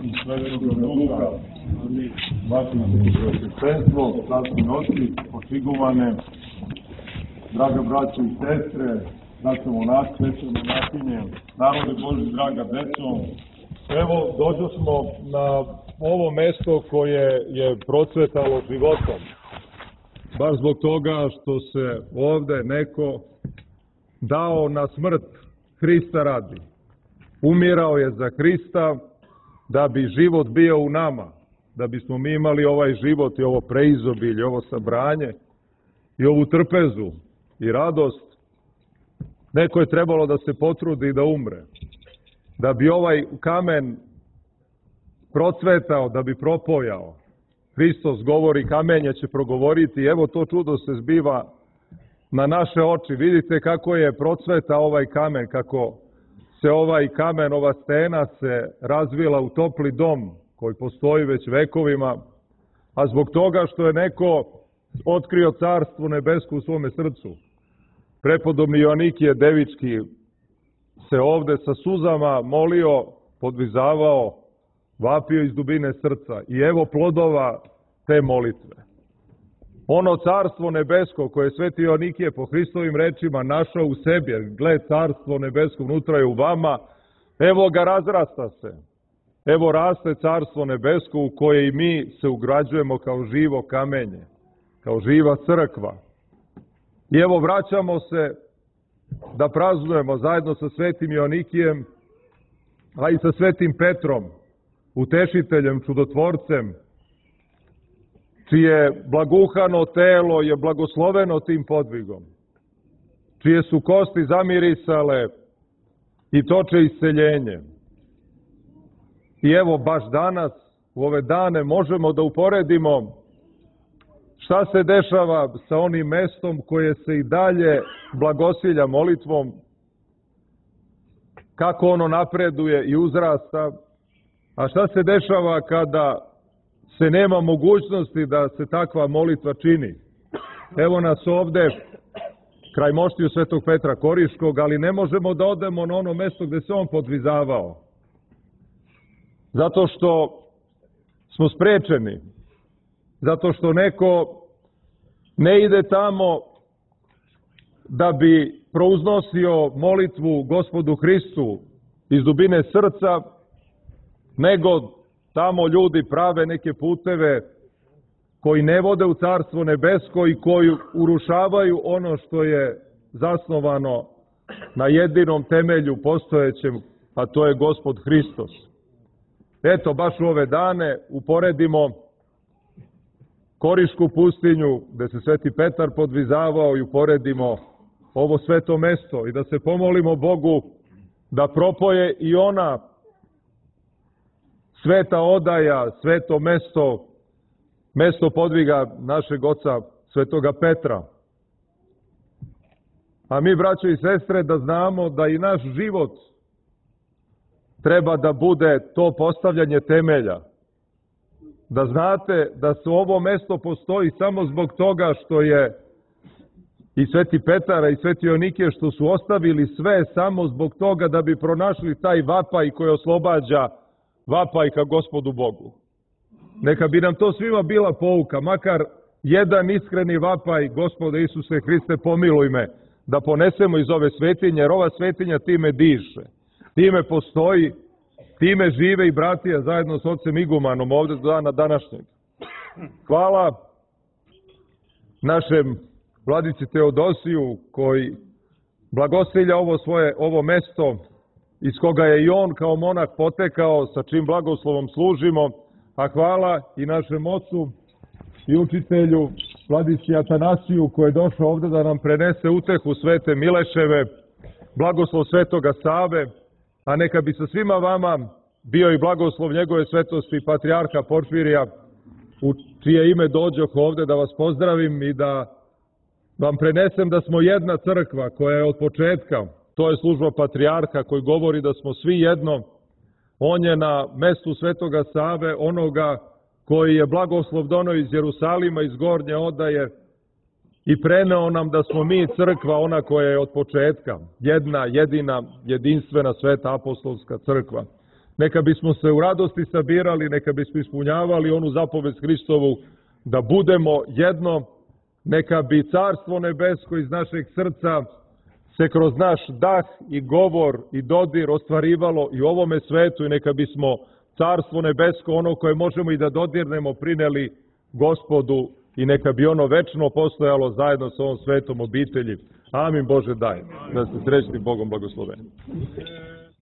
i Svetoga Duha. Vaše Svetoga Svatske noći, počigovane, draga braćo i sestre, braćo monasi, sestre monahinje, narode Boži, draga deco. Evo, došli smo na ovo mesto koje je procvetalo životom. Baš zbog toga što se ovde neko dao na smrt Hrista radi. Umirao je za Hrista da bi život bio u nama, da bismo mi imali ovaj život i ovo preizobilje, ovo sabranje i ovu trpezu i radost. Neko je trebalo da se potrudi da umre, da bi ovaj kamen procvetao, da bi propojao. Hristos govori, kamenje će progovoriti, evo to čudo se zbiva na naše oči. Vidite kako je procvetao ovaj kamen, kako se ovaj kamen, ova stena se razvila u topli dom koji postoji već vekovima, a zbog toga što je neko otkrio carstvo nebesko u svome srcu. Prepodobni Joanikije Devički se ovde sa suzama molio, podvizavao, vapio iz dubine srca i evo plodova te molitve. Ono carstvo nebesko koje je sveti Joanikije po Hristovim rečima našao u sebi, gle carstvo nebesko unutra je u vama, evo ga razrasta se. Evo raste carstvo nebesko u koje i mi se ugrađujemo kao živo kamenje, kao živa crkva. I evo vraćamo se da praznujemo zajedno sa svetim Joanikijem, a i sa svetim Petrom, utešiteljem, čudotvorcem, čije blaguhano telo je blagosloveno tim podvigom, čije su kosti zamirisale i toče isceljenje. I evo baš danas, u ove dane, možemo da uporedimo šta se dešava sa onim mestom koje se i dalje blagosilja molitvom, kako ono napreduje i uzrasta, a šta se dešava kada se nema mogućnosti da se takva molitva čini. Evo nas ovde, kraj moštiju svetog Petra Koriškog, ali ne možemo da odemo na ono mesto gde se on podvizavao. Zato što smo sprečeni, zato što neko ne ide tamo da bi prouznosio molitvu Gospodu Hristu iz dubine srca, nego tamo ljudi prave neke puteve koji ne vode u carstvo nebesko i koji urušavaju ono što je zasnovano na jedinom temelju postojećem, a to je Gospod Hristos. Eto, baš u ove dane uporedimo Korišku pustinju, gde se sveti Petar podvizavao, i uporedimo ovo sveto mesto i da se pomolimo Bogu da propoje i ona sveta odaja, sveto mesto, mesto podviga našeg oca svetoga Petra. A mi, braćo i sestre, da znamo da i naš život treba da bude to postavljanje temelja. Da znate da se ovo mesto postoji samo zbog toga što je i sveti Petara i sveti Joanikije što su ostavili sve samo zbog toga da bi pronašli taj vapaj koji oslobađa, vapaj ka Gospodu Bogu. Neka bi nam to svima bila pouka, makar jedan iskreni vapaj, Gospode Isuse Hriste, pomiluj me, da ponesemo iz ove svetinje, jer ova svetinja time diše, time postoji, time žive i bratija zajedno s ocem Igumanom ovde do dana današnjeg. Hvala našem vladici Teodosiju koji blagosilja ovo mesto iz koga je i on kao monah potekao, sa čim blagoslovom služimo, a hvala i našem ocu i učitelju vladici Atanasiju koji je došao ovde da nam prenese utehu svete Mileševe, blagoslov svetoga Save, a neka bi sa svima vama bio i blagoslov njegove svetosti patrijarha Porfirija, u čije ime dođoh ovde da vas pozdravim i da vam prenesem da smo jedna crkva koja je od početka, to je služba patrijarha koji govori da smo svi jedno. On je na mestu svetoga Save, onoga koji je blagoslov doneo iz Jerusalima, iz Gornje odaje, i preneo nam da smo mi crkva, ona koja je od početka, jedna, jedina, jedinstvena sveta apostolska crkva. neka bismo se u radosti sabirali, neka bismo ispunjavali onu zapovest Hristovu da budemo jedno, neka bi Carstvo nebesko iz našeg srca se kroz naš dah i govor i dodir ostvarivalo i u ovome svetu i neka bismo Carstvo nebesko, ono koje možemo i da dodirnemo, prineli Gospodu i neka bi ono večno postojalo zajedno sa ovom svetom obitelji. Amin Bože daj, da ste srećni Bogom blagosloveni.